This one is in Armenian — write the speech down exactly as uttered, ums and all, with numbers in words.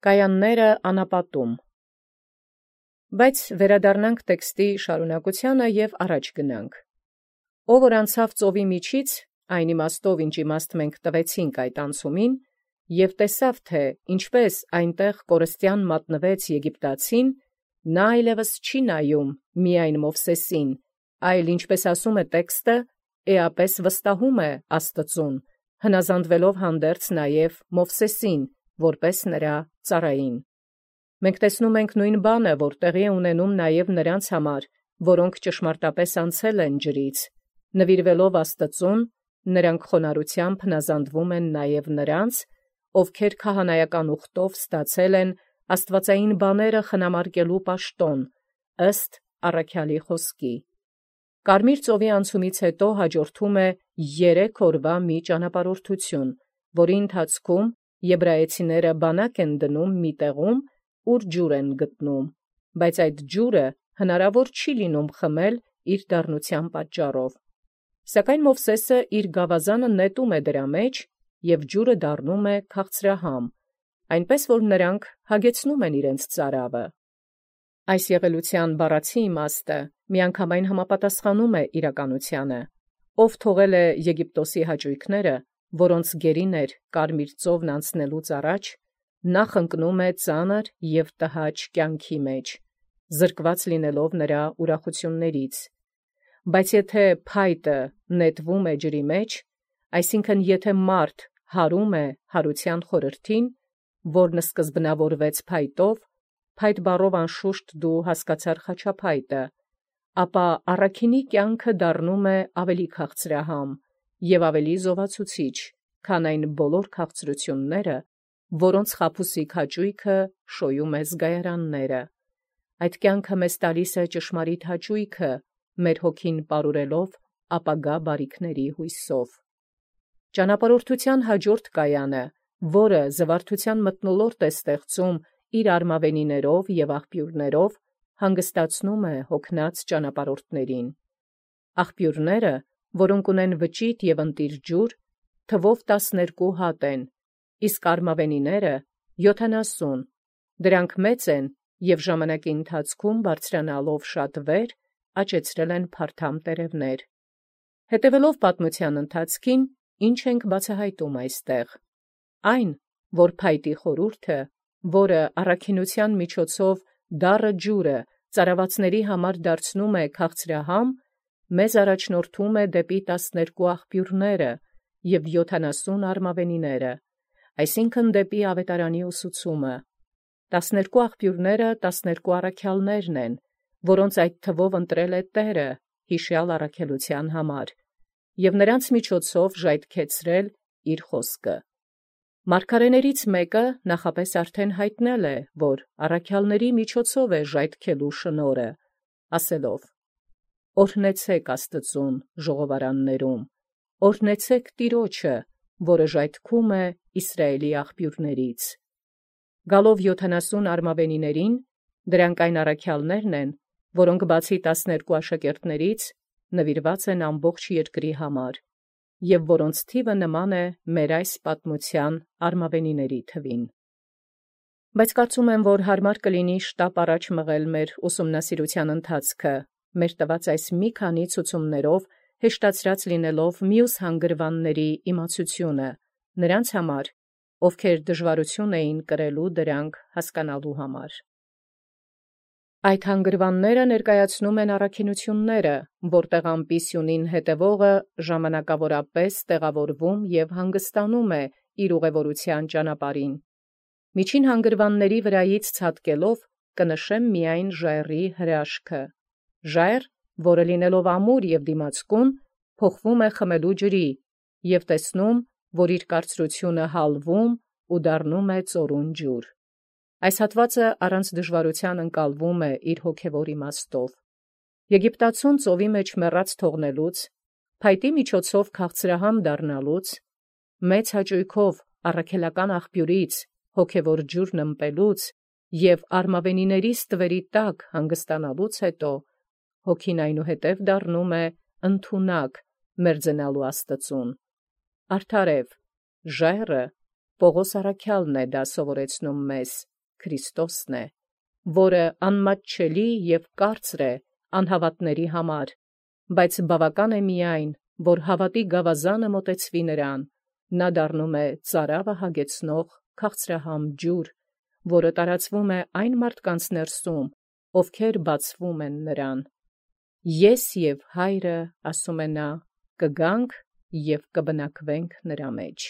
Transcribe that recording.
Կայանները անապատում։ Բայց վերադառնանք տեքստի շարունակությանը և առաջ գնանք։ Ով որ անցավ ծովի միջից, այն իմաստով ինչ իմաստ մենք տվեցինք այդ անցումին, և տեսավ, թե ինչպես այնտեղ կորստյան մատնվեց Եգիպտացին, նա այլևս չի նայում միայն Մովսեսին, այլ ինչպես ասում է տեքստը, էապես վստահում է Աստծուն, հնազանդվելով հանդերձ նաև Մովսեսին, որպես նրա ծառային։ Մենք տեսնում ենք նույն բանը, որ տեղի է ունենում նաև նրանց համար, որոնք ճշմարտապես անցել են ջրից, նվիրվելով Աստծուն, նրանք խոնարհությամբ հնազանդվում են նաև նրանց, ովքեր քահանայական ուխտով ստացել են աստվածային բաները խնամարկելու պաշտոն, ըստ առաքյալի խոսքի։ Կարմիր ծովի անցումից հետո հաջորդում է երեք օրվա մի ճանապարհորդություն, որի ընթացքում եբրայեցիները բանակ են դնում մի տեղում, ուր ջուր են գտնում, բայց այդ ջուրը հնարավոր չի լինում խմել իր դառնության պատճառով։ Սակայն Մովսեսը իր գավազանը նետում է դրա մեջ, և ջուրը դառնում է քաղցրահամ, այնպես որ նրանք հագեցնում են իրենց ծարավը։ Այս եղելության բառացի իմաստը միանգամայն համապատասխանում է իրականությանը, ով թողել է Եգիպտոսի հաճույքները, որոնց գերին էր Կարմիր ծովն անցնելուց առաջ, նախ ընկնում է ծանր և տհաճ կյանքի մեջ, զրկված լինելով նրա ուրախություններից։ Բայց եթե փայտը նետվում է ջրի մեջ, այսինքն եթե մարդ հարում է հարության խորհրդին, որն սկզբնավորվեց փայտով, փայտ բառով անշուշտ դու հասկացար խաչափայտը, ապա առաքինի կյանքը դառնում է ավելի քաղցրահամ և ավելի զովացուցիչ, քան այն բոլոր քաղցրությունները, որոնց խաբուսիկ հաճույքը շոյում է զգայարանները։ Այդ կյանքը մեզ տալիս է ճշմարիտ հաճույքը, մեր հոգին պարուրելով ապագա բարիքների հույսով։ Ճանապարհորդության հաջորդ կայանը, որը զվարթության մթնոլորտ է ստեղծում իր արմավենիներով և աղբյուրներով, հանգստացնում է հոգնած ճանապարհորդներին։ Աղբյուրները, որոնք ունեն վճիտ և ընտիր ջուր, թվով տասներկու հատ են, իսկ արմավենիները յոթանասուն, դրանք մեծ են և ժամանակի ընթացքում բարձրանալով շատ վեր, աճեցրել են փարթամ տերևներ։ Հետևելով պատմության ընթացքին, ինչ ենք բացահայտում այստեղ։ Այն, որ փայտի խորհուրդը, որը առաքինության միջոցով դառը ջուրը ծարավացների համար դարձնում է քաղցրահամ, մեզ առաջնորդում է դեպի տասներկու աղբյուրները և յոթանասուն արմավենիները, այսինքն դեպի ավետարանի ուսուցումը։ Տասներկու աղբյուրները տասներկու առաքյալներն են, որոնց այդ թվով ընտրել է Տերը հիշյալ առաքելության համար, և նրանց միջոցով ժայթքեցրել իր խոսքը։ Մարգարեներից մեկը նախապես արդեն հայտնել է, որ առաքյալների միջոցով է ժայթքելու շնորհը, ասելով. «Օրհնեցեք Աստծուն ժողովարաններում, օրհնեցեք Տիրոջը, որը ժայթքում է Իսրայելի աղբյուրներից»։ Գալով յոթանասուն արմավենիներին, դրանք այն առաքյալներն են, որոնք բացի տասներկու աշակերտներից նվիրված են ամբողջ երկրի համար, և որոնց թիվը նման է մեր այս պատմության արմավենիների թվին։ Բայց կարծում եմ, որ հարմար կլինի շտապ առաջ մղել մեր ուսումնասիրության ընթացքը, մեր տված այս մի քանի ցուցումներով հեշտացրած լինելով մյուս հանգրվանների իմացությունը, նրանց համար, ովքեր դժվարություն էին կրելու դրանք հասկանալու համար։ Այդ հանգրվանները ներկայացնում են առաքինությունները, որտեղ ամպի սյունին հետևողը ժամանակավորապես տեղավորվում և հանգստանում է իր ուղևորության ճանապարհին։ Միջին հանգրվանների վրայից ցատկելով կնշեմ միայն ժայռի հրաշքը։ Ժայռ, որը լինելով ամուր և դիմացկուն, փոխվում է խմելու ջրի, և տեսնում, որ իր կարծրությունը հալվում ու դառնում է ծորուն ջուր։ Այս հատվածը առանց դժվարության ընկալվում է իր հոգևոր իմաստով։ Եգիպտացուն ծովի մեջ մեռած թողնելուց, փայտի միջոցով քաղցրահամ դառնալուց, մեծ հաճույքով առաքելական աղբյուրից հոգևոր ջուրն ըմպելուց և արմավենիների ստվերի տակ հանգստանալուց հետո, հոգին այնուհետև դառնում է ընդունակ մերձենալու Աստծուն։ Արդարև, ժայռը, Պողոս առաքյալն է դա սովորեցնում մեզ, Քրիստոսն է, որը անմատչելի և կարծր է անհավատների համար, բայց բավական է միայն, որ հավատի գավազանը մոտեցվի նրան, նա դառնում է ծարավը հագեցնող քաղցրահամ ջուր, որը տարածվում է այն մարդկանց ներսում, ովքեր բացվում են նրան։ Ես և Հայրը, ասում է նա, կգանք և կբնակվենք նրա մեջ։